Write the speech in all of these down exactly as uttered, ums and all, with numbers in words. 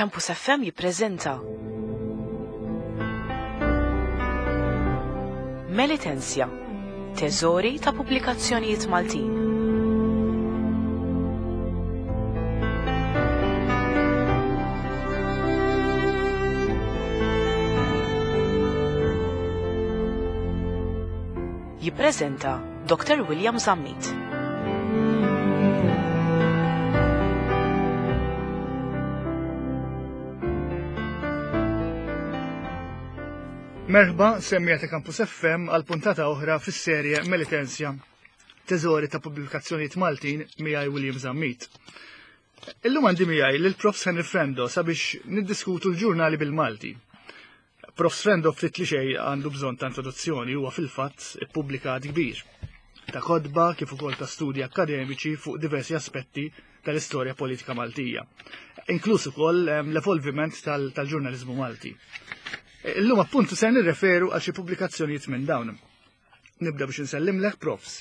Campus F M jippreżenta Melitensia, teżori ta' pubblikazzjonijiet Maltin. Jippreżenta Doctor William Zammit. Merħba, semmija ta' Campus F M għal puntata oħra fis-serje Melitensia, teżori ta' pubblikazzjonijiet Maltin miegħi William Zammit. Illum għandi miegħi lil Profs Henry Frendo sabiex niddiskutu l-ġurnali bil-Malti. Profs Frendo ftit li xejn għandu bżonn ta' introduzzjoni, huwa fil-fatt ippubblikat kbir ta' kotba kif ukoll ta' studji akkademiċi fuq diversi aspetti tal-istorja politika Maltija, inkluż ukoll, ehm, l-evolviment tal-, tal-ġurnaliżmu Malti. Illum appuntu se nirreferu għal xi pubblikazzjonijiet minn dawn. Nibda biex insellimlek, Profs.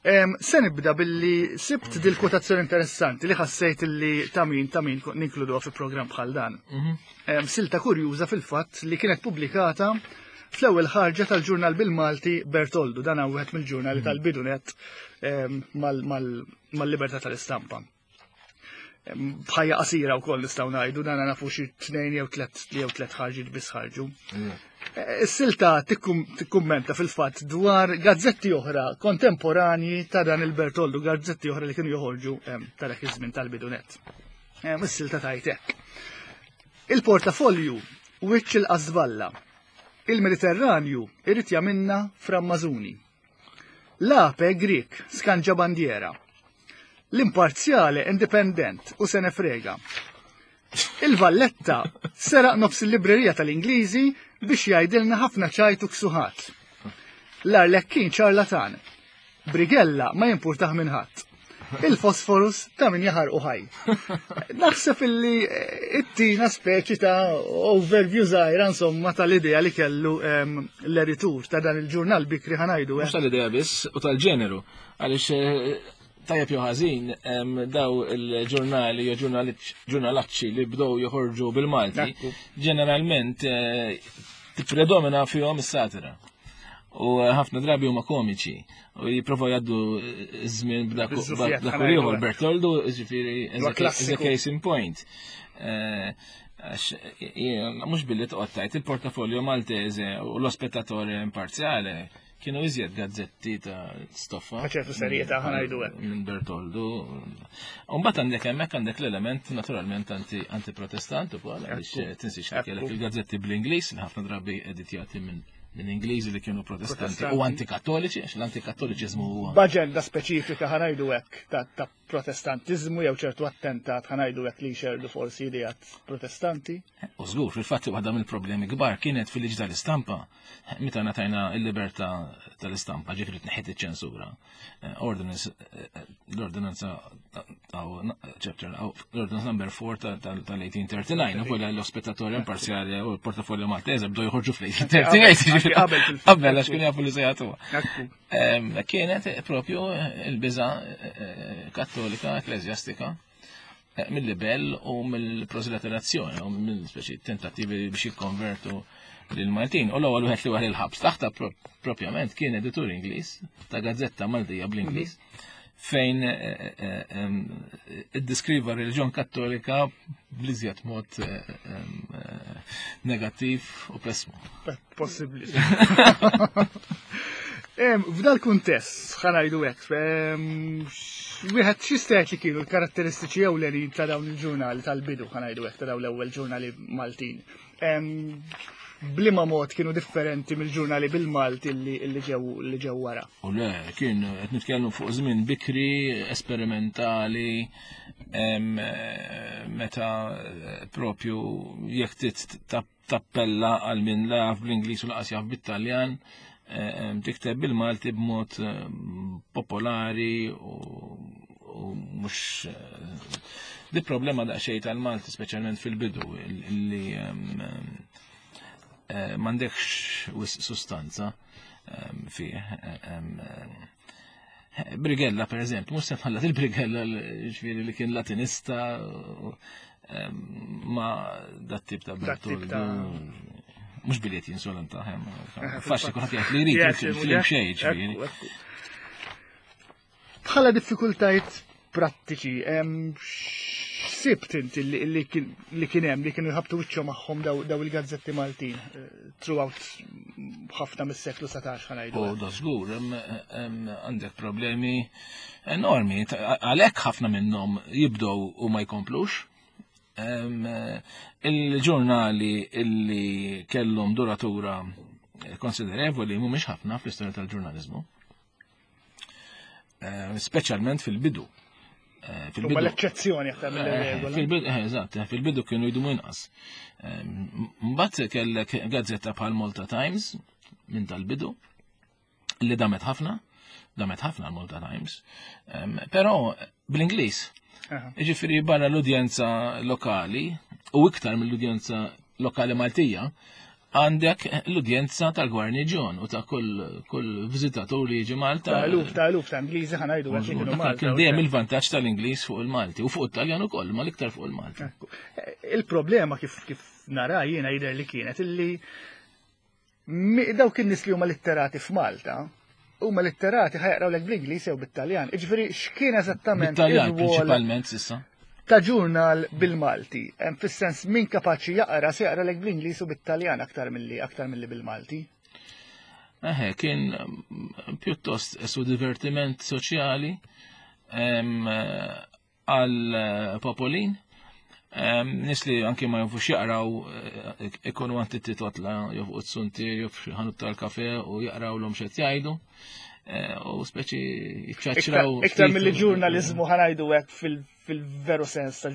Em, se nibda billi sibt dil kwotazzjoni interessanti li ħassejt li ta' min, ta' min ninkluduha fi programm bħal dan. Mhm. Em, silta kurjuża fil-fatt li kienet pubblikata fl-ewwel ħarġa tal-ġurnal bil-Malti Bertoldu, dan hawn wieħed mill-ġurnali Mhm. tal-bidunet, em, mal-, mal-, mal-libertà tal-istampa. Bħajja qasira wkoll nistgħu ngħidu, dan nafu xi tnejn jew tliet jew tliet ħarġiet biss ħarġu. Mm. Eh, is-silta tikkum-, tikkummenta fil-fatt dwar gazzetti oħra kontemporanji ta' dan il-Bertoldu, gazzetti oħra li kienu joħorġu, ehm, ta' dak iż-żmien tal-bidunet. Ehm, is-silta tgħid hekk. Il-portafolju wiċċ il-qasballa. Il-Mediterranju irid jagħmilna frammażuni. L-ape Grik skanġa bandiera. L-imparzjale indipendent u se nefrega. Il-Valletta seraq nofs il-librerija tal-Ingliżi biex jgħidilna ħafna ċajtu ksuħat. L-Arlekkin ċarlatan. Brigella ma jimpurtaħ minn ħadd. Il-fosforus ta' min jaħarqu ħaj. Naħseb illi ittina speċi ta' overview żgħira insomma tal-idea li kellu, ehm, l-editur ta' dan il-ġurnal bikri ħanajdu, eh. Mhux tal-idea biss u tal-ġeneru, għaliex, eh, tajjeb jew ħażin, em, daw il-ġurnali jew ġurnaliċ-, ġurnalacċi li bdew joħorġu bil-Malti, Ekku. ġeneralment, eh, tippredomina fihom is-satira. U, eh, ħafna drabi huma komiċi u jipprovaw jgħaddu ż-żmien b'dak Biż-żuffijiet b'dak ħana ieħor. jgħidu. Bertoldu, ġifieri, Huwa as a case, as a klassiku. case in point. Eh, għax, jien, mhux billi toqgħod tgħid il-portafolio Maltese u l-ospettatore imparzjale kienu iżjed gazzetti ta' stoffa. Ta' ċertu serjetà, ħa ngħidu hekk. Minn Bertoldu. U mbagħad għandek hemmhekk għandek l-element naturalment anti-, anti-protestant ukoll, għaliex Ekku. tinsiex li kellek Ekku. il-gazzetti bl-Ingliż, li ħafna drabi editjati minn, minn Ingliżi li kienu protestanti u Protestanti. antikattoliċi, għax l-antikattoliċiżmu huwa B'aġenda speċifika ħa ngħidu hekk ta', ta' protestantiżmu jew ċertu attentat ħa ngħidu hekk li jxerdu forsi ideat protestanti. U żgur, fil-fatt waħda mill-problemi kbar kienet fil-liġi tal-istampa, meta ngħatajna l-libertà tal-istampa, ġifieri tneħħiet iċ-ċensura. Eh, ordinance, eh, eh, l-ordinanza ta', ta', chapter, l-ordinance number four ta', ta', tal-eighteen thirty-nine, ukoll l-ospettatore imparzjali u l-portafolio Maltese bdew joħorġu fl-eighteen thirty-eight, Qabel, ġifieri qabel fil-fatt. qabel, għax kienu jafu li se jagħtuha. Ekku. Ehm, kienet propju il-biża, eh, kattolika, ekklesjastika, eh, mill-libell u mill-proseliterazzjoni u mill-speċi tentattivi biex jikkonvertu lil-Maltin. U l-ewwel wieħed li waħel il-ħabs taħta pro-, propjament kien editur Ingliż ta' gazzetta Maltija bl-Ingliż, fejn, eh, eh, ehm, iddeskriva r-reliġjon kattolika bl-iżjed mod, eh, ehm, eh, negattiv u pessmu. Possibbli. Em, f'dal kuntest, ħa ngħidu hekk, em, wieħed x'jista' jgħid li kienu l-karatteristiċi ewlenin ta' dawn il-ġurnali tal-bidu, ħa ngħidu hekk, ta' dawn l-ewwel ġurnali Maltin. Em, bliema mod kienu differenti mill-ġurnali bil-Malti li, li ġew, li ġew wara? U le, kien qed nitkellmu fuq żmien bikri, esperimentali, em, meta propju jekk trid tap-, tappella għal min la jaf bl-Ingliż u laqas jaf bit-Taljan, em, tikteb bil-Malti b'mod, em, popolari u, u mhux, eh, di problema daqsxejn tal-Malti, speċjalment fil-bidu, li, em, eh, m'għandekx wisq sustanza, em, fih, em, em, Brigella, per eżempju, mhux se nħallat il-Brigella, ġifieri li kien latinista, u, Ma dat tip ta' Bertoldo. Mhux biljet jinsolenta, faċli kulħadd jgħid li jrid film xejn ġifieri. Bħala diffikultajiet prattiċi, x'sibt inti li kien hemm li kienu jħabtu wiċċhom magħhom daw il-gazzetti Maltin throughout ħafna mis-seklu satax ħa ngħidu? U da żgur, għandek problemi enormi, għalhekk ħafna minnhom jibdew u ma jkomplux. Il-ġurnali illi kellhom duratura konsiderevoli mhumiex ħafna fl-istorja tal-ġurnaliżmu. Speċjalment fil-bidu. Fil-bidu. L-eċċezzjoni aktar mill-regola. Fil-bidu, eżatt, fil-bidu kienu jdumu inqas. Mbagħad kellek gazzetta bħal Malta Times minn tal-bidu li damet ħafna, damet ħafna l-Malta Times, però bl-Ingliż. Ġifieri barra l-udjenza lokali u iktar mill-udjenza lokali Maltija, għandek l-udjenza tal-gwarniġjon u ta' kull kull viżitatur li jiġi Malta. Ta' eluf ta' eluf ta' Ingliżi ħa ngħidu għax kienu Malta. Kien dejjem il-vantaġġ tal-Ingliż fuq il-Malti u fuq it-Taljan ukoll, ma l-iktar fuq il-Malti. Il-problema kif kif nara jiena jidher li kienet illi dawk in-nies li huma litterati f'Malta huma litterati ħa jaqrawlek bl-Ingliż jew bit-Taljan. Jiġifieri x'kien eżattament Bit-Taljan prinċipalment s'issa. Ta' ġurnal bil-Malti, fis-sens min kapaċi jaqra se jaqralek bl-Ingliż u bit-Taljan aktar milli aktar milli bil-Malti. Eħe, kien pjuttost su divertiment soċjali għal popolin. Nis li anki ma jafux jaqraw ikunu għand it-totla jew fuq it-suntier jew f'xi ħanut tal-kafe u jaqraw l-hom x'qed jgħidu. U speċi jiċċaċċraw. Iktar mill ġurnaliżmu ħa ngħidu hekk fil-veru sens ta'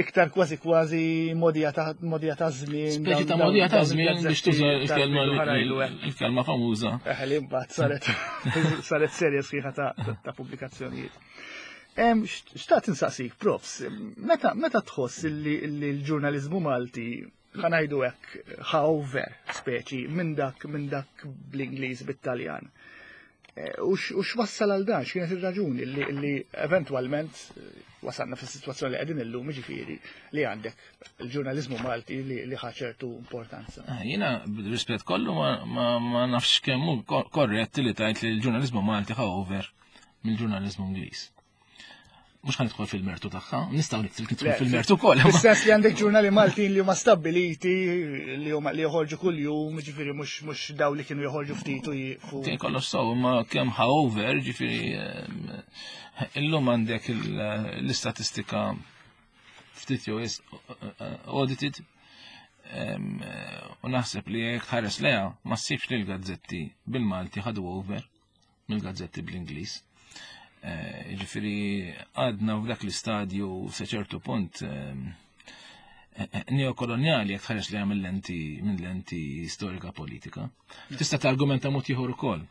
iktar kważi kważi modija ta' modija ta' żmien. Speċi ta' modija ta' żmien biex tuża il-kelma famuża. Eħe, li mbagħad saret saret serje sħiħa ta' pubblikazzjonijiet. Xtaqt insaqsik, profs, meta meta tħoss li l-ġurnaliżmu Malti ħa ngħidu hekk ħa over speċi minn dak minn dak bl-Ingliż bit-Taljan. U x'wassal għal dan, x'kienet ir-raġuni li eventwalment wasalna fis-sitwazzjoni li qegħdin illum, jiġifieri li għandek il-ġurnaliżmu Malti li ħa ċertu importanza. Jiena b'rispett kollu ma nafx kemm hu korrett li tgħid li l-ġurnaliżmu Malti ħa over mill-ġurnaliżmu Ingliż. Mhux ħa nidħol fil-mertu tagħha, nistgħu nidħol fil-mertu wkoll. Fis-sens li għandek ġurnali Maltin li huma stabbiliti, li huma li joħorġu kuljum, jiġifieri mhux mhux daw li kienu joħorġu ftit u jieqfu. Kien kollox sew, imma kemm ħa over, jiġifieri illum għandek l-istatistika ftit jew audited u naħseb li jekk tħares leha ma ssibx li l-gazzetti bil-Malti ħadu over mill-gazzetti bl-Ingliż. Ġifieri għadna f'dak l-istadju sa ċertu punt neokoloniali jekk tħares li mill lenti minn lenti storika politika. Tista' targumenta mod ieħor ukoll.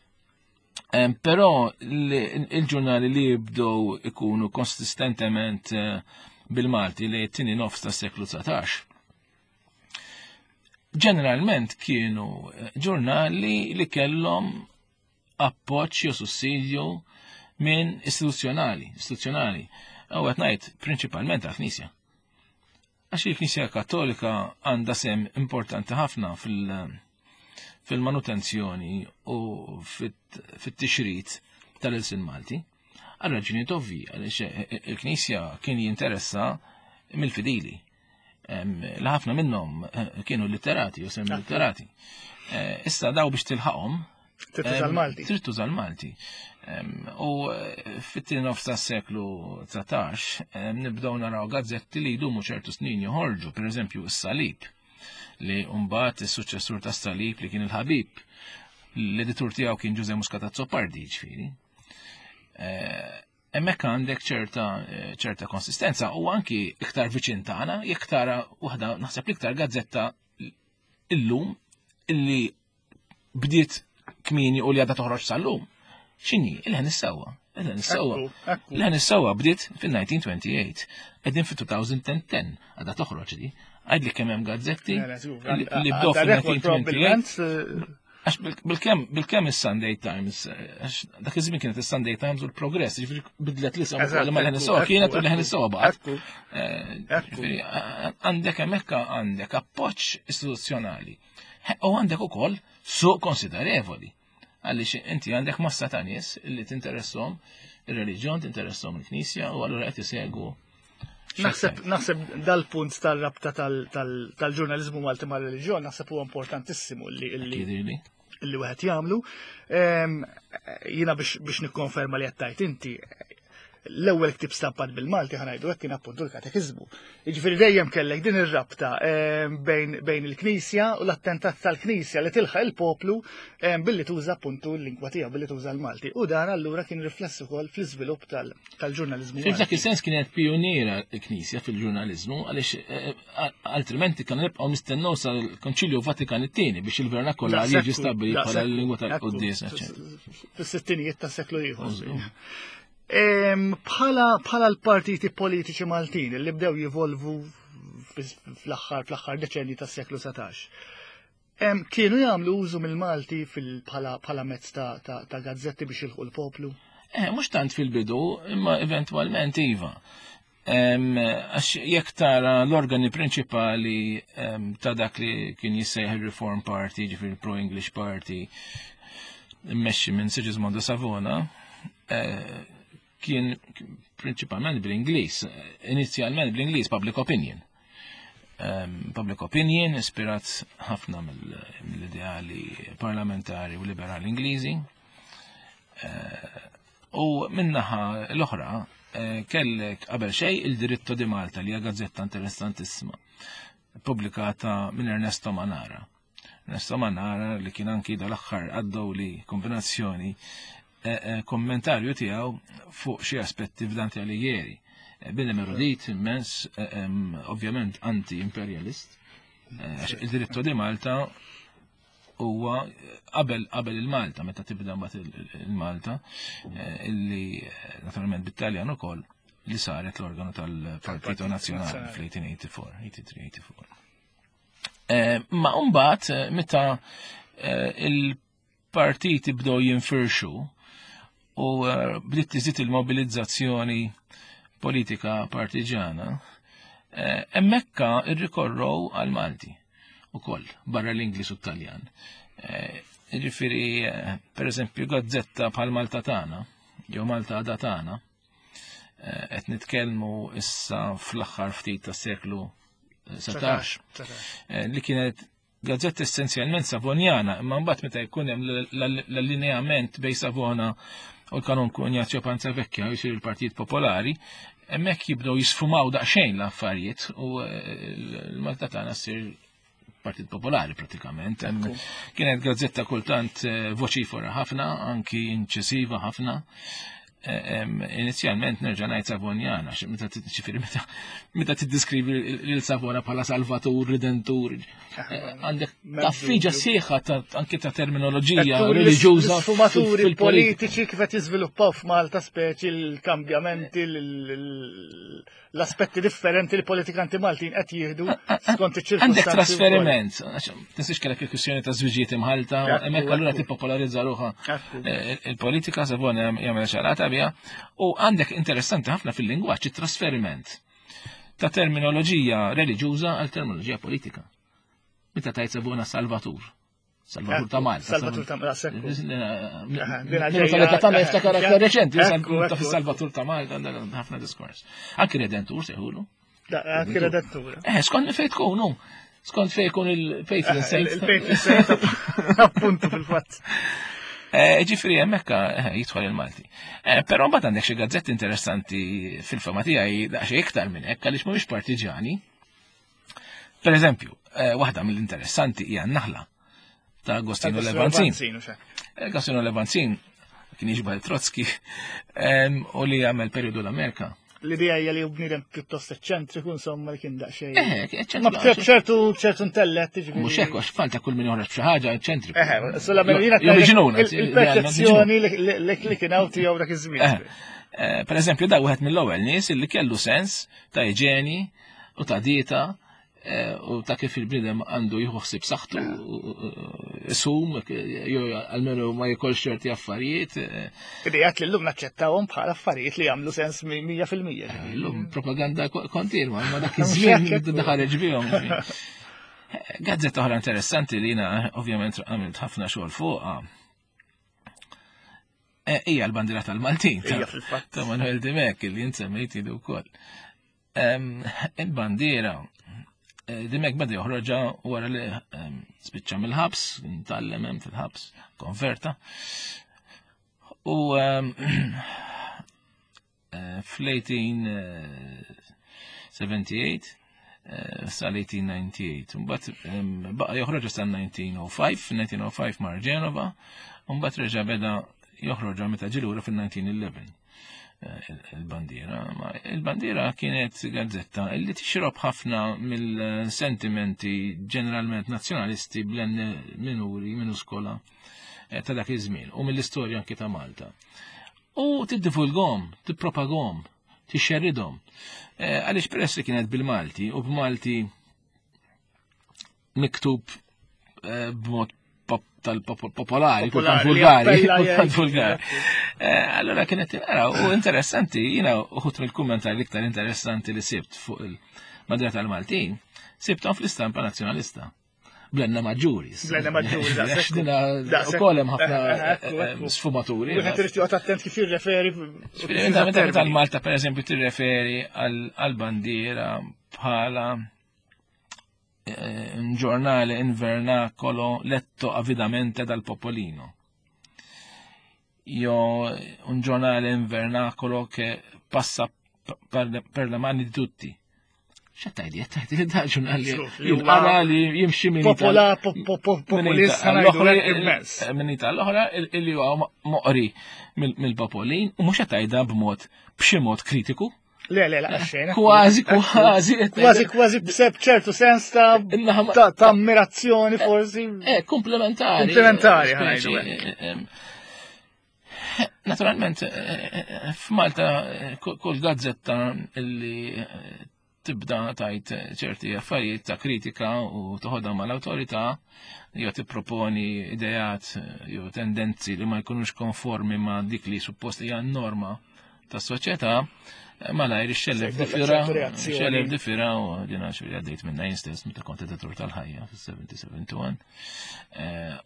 Però il-ġurnali li jibdew ikunu konsistentement bil-Malti li t-tieni nofs tas-seklu dsatax. Ġeneralment kienu ġurnali li kellhom appoġġ jew sussidju minn istituzzjonali, istituzzjonali. U qed ngħid prinċipalment għall-Knisja. Għax il-Knisja Kattolika għandha sem importanti ħafna fil-manutenzjoni u fit-tixrid tal-ilsien Malti. Għal raġunijiet ovvi, għaliex il-Knisja kien jinteressa mill-fidili. Li ħafna minnhom kienu litterati u semmi litterati. Issa daw biex tilħaqhom Trid tuża l-Malti. Trid tuża l-Malti. U fit-tieni nofs tas-seklu dsatax nibdew naraw gazzetti li jdumu ċertu snin joħorġu, pereżempju s-Salib, li mbagħad is-suċċessur tas-Salib li kien il-Ħabib, l-editur tiegħu kien Ġuże Muscat Azzopardi, ġifieri. Hemmhekk għandek ċerta ċerta konsistenza u anki iktar viċin tagħna, jekk tara waħda naħseb l-iktar gazzetta illum illi bdiet kmieni u li għadha toħroġ sal-lum. X'inhi? Il-Ħen is-Sewwa. Il-Ħen is-Sewwa. Il-Ħen is-Sewwa bdiet fin-nineteen twenty-eight. Qegħdin fit-two thousand ten għadha toħroġ di. Għidli kemm hemm gazzetti li bdew fin-nineteen twenty-eight. Għax bil-kemm bil-kemm is-Sunday Times, għax dak iż-żmien kienet is-Sunday Times u l-Progress, jiġifieri bidlet l-isem ukoll ma Leħen is-Sewwa kienet u Leħen is-Sewwa baqgħet. Jiġifieri għandek hemmhekk għandek appoġġ istituzzjonali. U għandek ukoll suq konsiderevoli. Għaliex inti għandek massa ta' nies li tinteresshom ir-reliġjon, tinteresshom il-Knisja u allura qed isegwu. Naħseb naħseb dal-punt tal-rabta tal-ġurnaliżmu Malti mar-reliġjon naħseb huwa importantissimu li li wieħed jagħmlu. Jiena biex nikkonferma li qed tgħid inti, l-ewwel ktieb stampat bil-Malti ħa ngħidu hekk kien appuntu l-Katekiżmu. Jiġifieri dejjem kellek din ir-rabta bejn bejn il-Knisja u l-attentat tal-Knisja li tilħaq il-poplu billi tuża appuntu l-lingwa tiegħu, billi tuża l-Malti. U dan allura kien rifless ukoll fl-iżvilupp tal-ġurnaliżmu. F'dak is-sens kienet pioniera l-Knisja fil-ġurnaliżmu għaliex altrimenti kienu nibqgħu nistennew sal-Konċilju Vatikan it-tieni biex il-vernakolar jiġi stabbilit bħala l-lingwa tal-quddies. Fis-sittinijiet tas-seklu ieħor. Bħala l-partiti politiċi Maltin li bdew jivolvu fl-aħħar fl-aħħar deċenji tas-seklu satax. Kienu jagħmlu użu mill-Malti bħala mezz ta' gazzetti biex jilħqu l-poplu? Eh, mhux tant fil-bidu, imma eventwalment iva. Għax jekk tara l-organi prinċipali ta' dak li kien jissejjaħ il-Reform Party, ġifieri il-Pro-English Party, immexxi minn Sigismondo Savona, kien prinċipalment bl-Ingliż, inizjalment bl-Ingliż Public Opinion. Um, public Opinion ispirat ħafna mill-ideali parlamentari u liberali Ingliżi. Uh, u minnaħa l-oħra uh, kellek qabel xejn il-Diritto di Malta li hija gazzetta interessantissima, pubblikata minn Ernesto Manara. Ernesto Manara li kien anki dal-aħħar għaddew li kombinazzjoni kommentarju tiegħu fuq xi aspetti f'Dante Alighieri. Bidem erudit immens, ovvjament anti-imperialist. Il-Diritto di Malta huwa qabel qabel il-Malta, meta tibda mbagħad il-Malta, illi naturalment bit-Taljan ukoll li saret l-organu tal-Partito Nazzjonali fl-eighteen eighty-four, eighty-three eighty-four. Ma mbagħad meta il-partiti bdew jinfirxu u bdiet tiżid il-mobilizzazzjoni politika partiġana, hemmhekk irrikorrow għal Malti ukoll barra l-Ingliż u t-Taljan. Jiġifieri pereżempju gazzetta bħal Malta tagħna jew Malta għada tagħna, qed nitkellmu issa fl-aħħar ftit tas-seklu setax, li kienet gazzetta essenzjalment Savonjana, imma mbagħad meta jkun hemm l-allineament bejn Savona u l-kanonku Ignazio Panzavecchia jsir il-Partit Popolari, hemmhekk jibdew jisfumaw daqsxejn l-affarijiet u l-Malta tagħna ssir Partit Popolari pratikament. Kienet gazzetta kultant voċifora ħafna, anki inċisiva ħafna. Inizjalment nerġa' ngħid Savonjana, meta ġifieri meta tiddiskrivi lil Savona bħala salvatur, redentur, għandek taffiġa sieħa anke ta' terminoloġija reliġjuża. Sfumaturi politiċi kif qed jiżviluppaw f'Malta, speċi l-kambjamenti, l-aspetti differenti li politikanti Maltin qed jieħdu skont iċ-ċirkustanzi. Għandek trasferiment, tinsiex kellek il-kwistjoni ta' żwiġijiet imħalta, hemmhekk allura tippopolarizza ruħha il-politika. Savona jagħmel ċarata bija, u għandek interessanti ħafna fil-lingwaġġ it-trasferiment ta' terminoloġija reliġjuża għal terminoloġija politika. Meta tajt Savona Salvatur, Salvatur ta' Malta. Salvatur ta' Malta. Tal-età tagħna jiftakar aktar reċenti, ta' fis-Salvatur ta' Malta ħafna diskors. Anki Redentur seħulu. Anki Redentur. Eh, skont fejn tkunu. Skont fejn jkun il-patron saint. Il-patron saint, appuntu fil-fatt. Ġifieri hemmhekk jidħol il-Malti. Però mbagħad għandek xi gazzetti interessanti fil-fema tiegħi daqsxejn iktar minn hekk għaliex mhumiex partiġani. Per eżempju, waħda mill-interessanti hija n-Naħla ta' Agostino Levanzin. Agostino Levanzin kien jiġbal Trotsky u li għamel periodu l-Amerika. L-idea hija li bniedem pjuttost eċċentriku, insomma, li kien daqsxejn. Eh, eċċentriku. Ma ċertu ċertu intellett, jiġifieri. Mhux hekk, għax falta kull min joħroġ b'xi ħaġa eċċentriku. Eh, sulla il-perċezzjoni li kien hawn tiegħu dak iż-żmien. Per eżempju, da wieħed mill-ewwel nies li kellu sens ta' iġeni u ta' dieta u ta' kif il-bniedem għandu jieħu ħsieb saħħtu, isum, jew almenu ma jikolx ċerti affarijiet. Idejat li llum naċċettawhom bħala affarijiet li jagħmlu sens mija fil-mija. Illum propaganda kontinwa, ma dak iż-żmien ħareġ bihom. Gazzetta oħra interessanti li jiena ovvjament għamilt ħafna xogħol fuqha. Hija l-bandiera tal-Maltin ta' Manuel Dimech li jien semmejt ilu wkoll. Il-bandiera Dimech beda joħroġha wara li spiċċa mill-ħabs, ntallem hemm fil-ħabs, konverta. U fl-eighteen seventy-eight sal-eighteen ninety-eight. Mbagħad baqa' joħroġha sa nineteen oh five, nineteen oh five mar Ġenova, u mbagħad reġa' beda joħroġha meta ġie lura fil-nineteen eleven. Il-bandiera. Il-bandiera kienet gazzetta li tixrob ħafna mill-sentimenti ġeneralment nazzjonalisti blen minuri, minuskola ta' dak iż-żmien u mill-istorja anki ta' Malta. U tiddivulgom, tippropagom, tixxerridhom. Għaliex peress li kienet bil-Malti u b'Malti miktub b'mod tal-popolari, kultant vulgari, kultant vulgari. Allora kienet tinqara u interessanti, jiena uħut mill-kummentari l-iktar interessanti li sibt fuq il-bandiera tal-Maltin, sibthom fl-istampa nazzjonalista. Blenna maġġuri. Blenna maġġuri, daqshekk. Ukoll hemm ħafna sfumaturi. Wieħed irid joqgħod attent kif jirreferi. Meta tal-Malta pereżempju tirreferi għall-bandiera bħala un giornale in vernacolo letto avidamente dal popolino. Io un giornale in vernacolo che passa per le, per le mani di tutti. X'għed tgħidli? Qed tgħidli da ġurnali jinqara li jimxi minn Popola, populista immens. Minn tal-oħra illi huwa moqri mill-popolin u mhux qed tgħidha b'mod b'xi mod kritiku. Le, le, la, xejn. Kważi, kważi. Kważi, kważi b'seb ċertu sens ta' ta' ammirazzjoni forsi. Eh, komplementari. Komplementari, ħajdu. Naturalment, f'Malta kull gazzetta li tibda tajt ċerti affarijiet ta' kritika u toħodha mal-awtorità, jew tipproponi ideat jew tendenzi li ma jkunux konformi ma' dik li suppost hija n-norma tas-soċjetà, malajr ixxellef difira, ixxellef difira u dina xi għaddejt minna jien stess meta kont editur tal-ħajja fis-seventy seventy-one.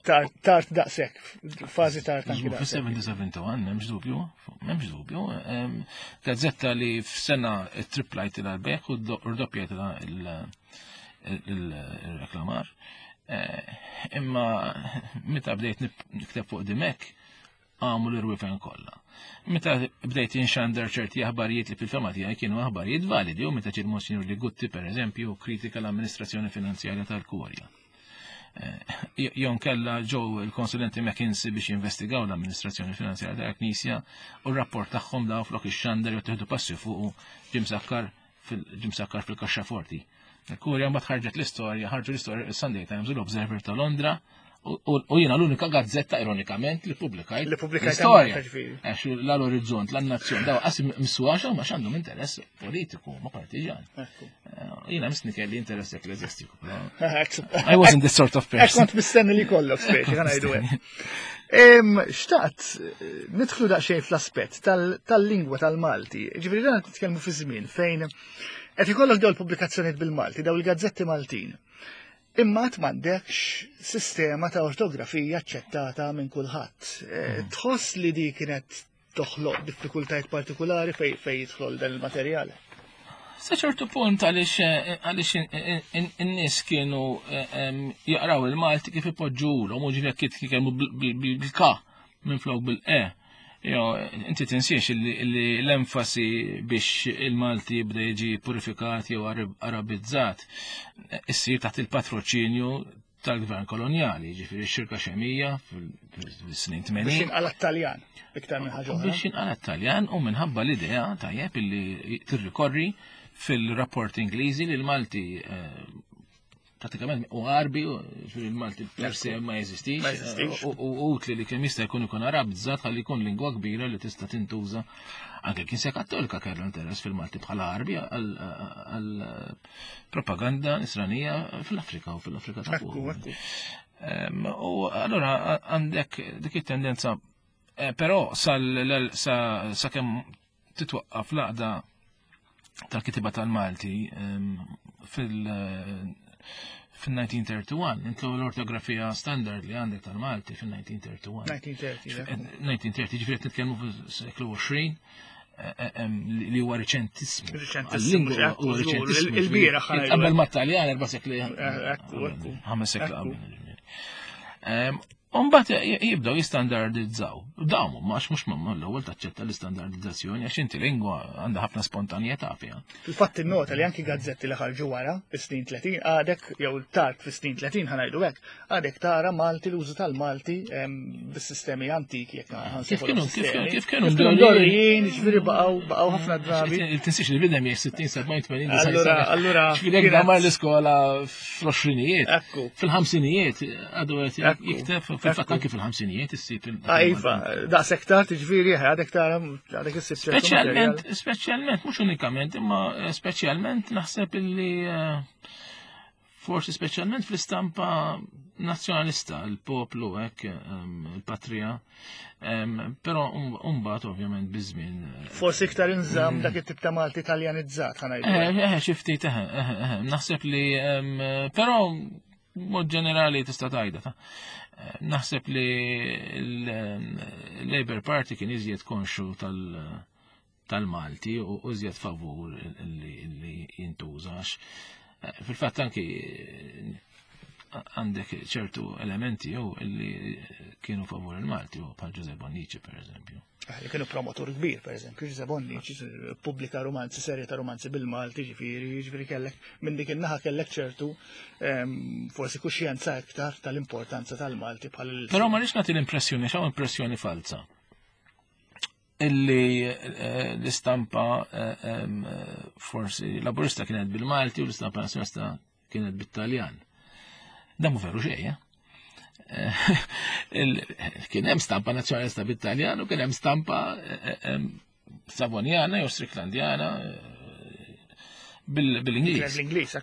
Tard, tard daqshekk, fażi tard anki daqshekk. Fis-seventy seventy-one m'hemmx dubju, m'hemmx dubju. Gazzetta li f'sena triplajt il-beħ u rdoppjajt il-reklamar. Imma meta bdejt nikteb fuq Dimech, għamu l-irwifen kollha. Meta bdejt inxandar ċerti aħbarijiet li fil-fema tiegħi kienu aħbarijiet validi, u meta ġie Monsignor Ligutti pereżempju kritika l-amministrazzjoni finanzjarja tal-Kurja. Jon kella ġew il-konsulenti McKinsey biex jinvestigaw l-amministrazzjoni finanzjarja tal-Knisja u r-rapport tagħhom daw flok ix-xandar jew tieħdu passi fuq ġie msakkar fil-ġie fil-kaxxaforti. Il-Kurja mbagħad ħarġet l-istorja, ħarġu l-istorja il-Sunday Times u l-Observer ta' Londra. U jiena l-unika gazzetta ironikament li pubblikajt l-istorja. Għax l-Orizzont, l-Nazzjon, daw qas miswaxa ma x'għandhom interess politiku, ma partiġan. Jiena misni kelli interess ekklesjastiku. I wasn't this sort of person. Kont mistenni li kollok speċi, ħa ngħidu hekk. Xtaqt nidħlu daqsxejn fl-aspett tal-lingwa tal-Malti. Ġifieri dan qed nitkellmu fi żmien fejn qed ikollok dawn il-pubblikazzjonijiet bil-Malti, dawn il-gazzetti Maltin. Imma għad m'għandekx sistema ta' ortografija aċċettata minn kulħadd. Tħoss li di kienet toħloq diffikultajiet partikolari fej fej jidħol dan il-materjal? Sa ċertu punt għaliex għaliex in-nies kienu jaqraw il-Malti kif ipoġġulhom u ġifieri kif jitkellmu bil-K minflok bil-E. Jo, inti tinsiex li l-enfasi biex il-Malti jibda jiġi purifikat jew arabizzat issir taħt il-patroċinju tal-gvern kolonjali, ġifieri x-xirka xemija fis-snin tmenin. Biex jinqala' Taljan, iktar minn ħaġa oħra. Biex jinqala' Taljan u minħabba l-idea tajjeb illi tirrikorri fil-rapport Ingliżi li l-Malti Pratikament u Għarbi, il-Malti per se ma jeżistix, u utli li kemm jista' jkun ikun Arabbizzat ħalli jkun lingwa kbira li tista' tintuża. Anke l-Knisja Kattolika kellha interess fil-Malti bħala Għarbi għal propaganda nisranija fl-Afrika u fil-Afrika ta' fuq. U allura għandek dik it-tendenza, però sakemm titwaqqaf l-għaqda tal-kitiba tal-Malti fil- fil-elf disa' mija u wieħed u tletin, intlu l-ortografija standard li għandek tal-Malti fil-elf disa' mija u tletin. elf disa' mija u tletin, ġifieri nitkellmu fis-seklu għoxrin, li huwa riċentissmu. Riċentissmu, il-bieraħ. Qabel ma Taljan erba' sekli. Ħames sekli qabel. Umbat jibdaw jistandardizzaw. Dawn mhux mhux l-ewwel taċċetta l-istandardizzazzjoni għax inti lingwa għandha ħafna spontanjetà fiha. Fil-fatt innota li anki gazzetti li ħarġu wara fis-snin tletin għadek jew tard fis-snin tletin ħa ngħidu hekk, għadek tara Malti, l-użu tal-Malti bis-sistemi antiki jekk Kif kienu kif kienu mdorrijin, ġifieri baqgħu baqgħu ħafna drabi. Tinsiex li bidem jekk sittin, sebgħin, tmenin. Allura allura ġifieri mar l-iskola fl-għoxrinijiet, fil-ħamsinijiet għadu jikteb. Fil-fatt anki fil-ħamsinijiet issib. Iva, daqshekk tard, ġifieri għadek tara għadek issib. Speċjalment, speċjalment, mhux unikament, imma speċjalment naħseb illi forsi speċjalment fl-istampa nazzjonalista, il-poplu hekk, il-patrija, però mbagħad ovvjament biż-żmien. Forsi iktar inżamm dak it-tip ta' Malti italjanizzat ħa ngħidu. Eh, eh, xi ftit, eh, eh, naħseb li però mod ġenerali tista' tgħidha ta'. Naħseb li l-Labour Party kien iżjed konxu tal-Malti u iżjed favur li jintużax. Fil-fatt anki għandek ċertu elementi jew li kienu favur il-Malti, u bħal Giuseppe Bonnici per eżempju. Li kienu promotur kbir, per eżempju, Giuseppe Bonnici pubblika romanzi, serje ta' romanzi bil-Malti, ġifieri, ġifieri kellek minn dik in-naħa kellek ċertu forsi kuxjenza iktar tal-importanza tal-Malti bħal. Però ma rridx nagħti l-impressjoni, x'hawn impressjoni falsa, illi l-istampa forsi laburista kienet bil-Malti u l-istampa nazjonalista kienet bit-Taljan. Dan mhu veru xejn. Kien hemm stampa nazzjonalista bit-Taljan u kien hemm stampa Savonjana jew Stricklandjana bil-Ingliż. Bil-Ingliż.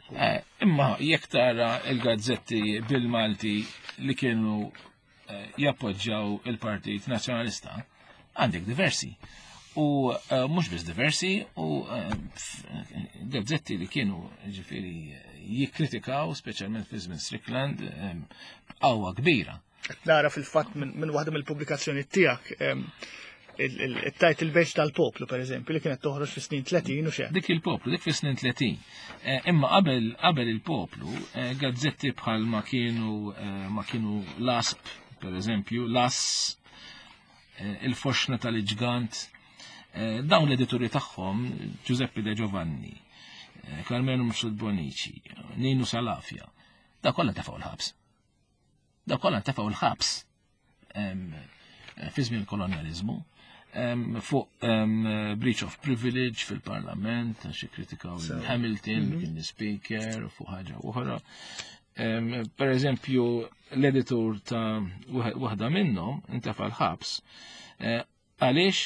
Imma jekk tara il-gazzetti bil-Malti li kienu jappoġġjaw il-Partit Nazzjonalista, għandek diversi. U mhux biss diversi, u gazzetti li kienu ġifieri jikkritikaw, speċjalment fi żmien Strickland, b'qawwa kbira. Nara fil-fatt minn waħda mill-pubblikazzjoni tiegħek il-title page tal-Poplu, per eżempju, li kienet toħroġ fi snin tletin u xejn. Dik il-Poplu, dik fi snin tletin. Imma qabel qabel il-Poplu, gazzetti bħal ma kienu ma kienu l-Asp, per eżempju, l-As, il-Foxna tal-Ġgant, dawn l-edituri tagħhom Giuseppe De Giovanni, Carmelo Mifsud Bonnici, Ninu Salafia, da kollha tefgħu l-ħabs. Da kollha tefgħu l-ħabs fi żmien il-kolonjaliżmu fuq breach of privilege fil-parlament, għax ikkritikaw Hamilton, kien speaker, fuq ħaġa oħra. Per eżempju, l-editur ta' waħda minnhom intefa' l-ħabs għaliex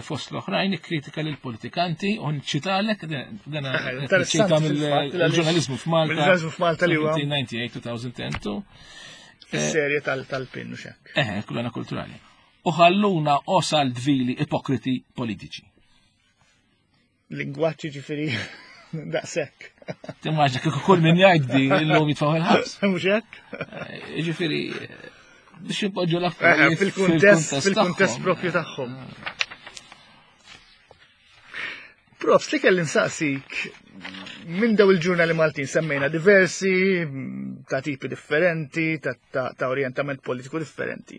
fost l-oħrajn ikkritika lill-politikanti u nċitalek dan ċita mill-ġurnaliżmu f'Malta. Mill-ġurnaliżmu f'Malta li huwa elf disa' mija u tmenja u disgħin elfejn u tnejn. Fis-serje tal-pin u xek. Eh, kullana kulturali. U ħalluna osal dvili ipokriti politiċi. Lingwaġġi ġifieri daqshekk. Timmaġna kieku kull min jgħid di illum jitfgħu il-ħabs. Mhux hekk? Ġifieri biex ipoġġu l-affarijiet fil-kuntest fil-kuntest propju tagħhom. Profs, li kelli nsaqsik, minn daw il-ġurnali Maltin semmejna diversi, ta' tipi differenti, ta', ta, ta orientament politiku differenti.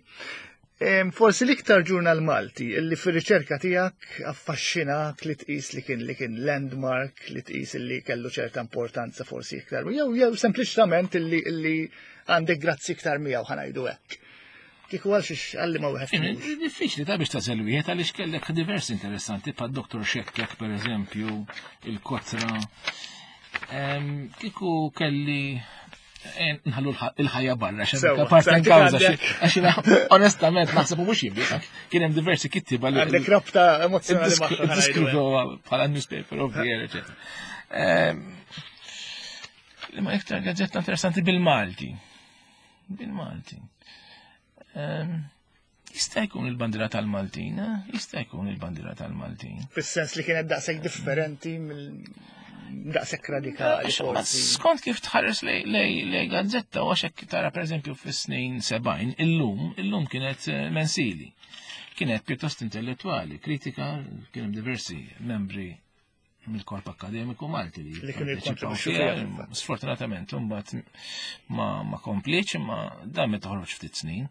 Forsi l-iktar ġurnal Malti illi fir-riċerka tiegħek affaxxinak, li tqis li kien li kien landmark, li tqis li kellu ċerta importanza forsi iktar, jew jew sempliċement illi illi għandek grazzi iktar miegħu, ħa ngħidu hekk. Kieku għal xiex għalli ma wieħed. Diffiċli ta' biex tażel wieħed għaliex kellek diversi interessanti pa' Doktor Xekkek per eżempju, il-Kotra. Kieku kelli Nħallu il-ħajja barra, xemka parta kawża. Għax onestament naħseb u mhux jien, kien hemm diversi kittiba li. Għandek rabta emozjonali magħha. Diskrivu bħala newspaper of the year, eċetera. Li ma iktar gazzetta interessanti bil-Malti. Bil-Malti. Jista' jkun il-Bandiera tal-Maltin, jista' jkun il-Bandiera tal-Maltin. Fis-sens li kienet daqshekk differenti mill daqshekk radikali. Skont kif tħares lej gazzetta, u għax hekk tara pereżempju fis-snin sebgħin, illum, illum kienet mensili. Kienet pjuttost intellettuali, kritika, kien hemm diversi membri mill-korp akademiku Malti li kienu jikkontribwixxu fiha. Sfortunatament, imbagħad ma ma kompliċ, imma dan meta toħroġ ftit snin.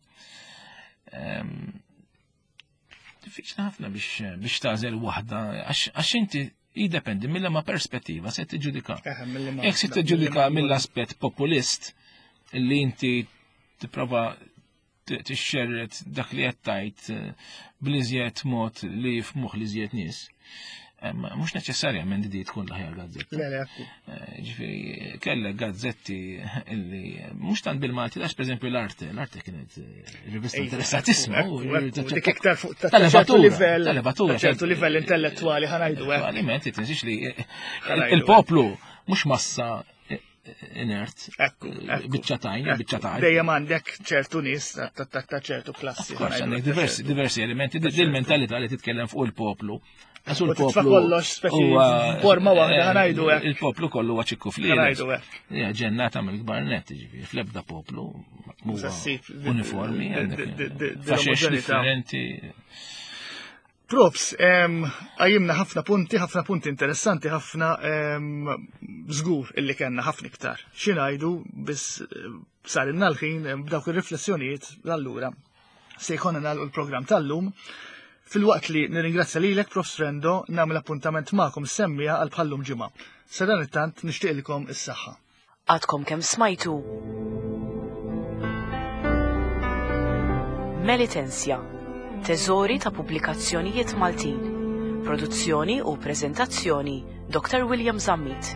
Diffiċli ħafna biex biex tagħżel waħda, għax inti jiddependi mill-ma perspettiva se tiġġudika. Jekk se tiġġudika mill-aspett populist li inti tipprova tixxerret dak li qed tgħid bl-iżjed mod li f'moħħ l-iżjed nies, mhux neċessarjament di tkun l-aħjar gazzetta. Le, le, Ġifieri kellek gazzetti illi mhux tant bil-Malti, għax pereżempju l-Arte, l-Arte kienet rivista interessatissima. Dik iktar fuq ta' ċertu livell, tal-levatura, ċertu livell intellettwali ħanajdu hekk. Intellettualment, tinsiex li il-poplu mhux massa inert, biċċatajn, biċċatajn. Dejjem għandek ċertu nies ta' ċertu klassi. Għandek diversi, diversi elementi, dil-mentalità li titkellem fuq il-poplu. Għax U titfa' il-poplu kollox speċi forma waħda ħanajdu hekk. Il-poplu kollu huwa ċikku fliel. Ħanajdu hekk. Ja, ġennata mill-kbar net, ġifieri, fl-ebda poplu huwa uniformi, għandek faxex differenti. Props, għajimna ħafna punti, ħafna punti interessanti, ħafna żgur illi kellna ħafna iktar. Xi ngħidu biss sarilna l-ħin b'dawk ir-riflessjonijiet allura se jkollna nagħlqu l-programm tal-lum. Fil-waqt li nirringrazzja lilek, Profs Frendo, nagħmel appuntament magħkom semmija għal bħallum ġimgħa. Sa dan it-tant nixtieqilkom is-saħħa. Għadkom kemm smajtu Melitensia, teżori ta' pubblikazzjonijiet Maltin. Produzzjoni u preżentazzjoni Doktor William Zammit.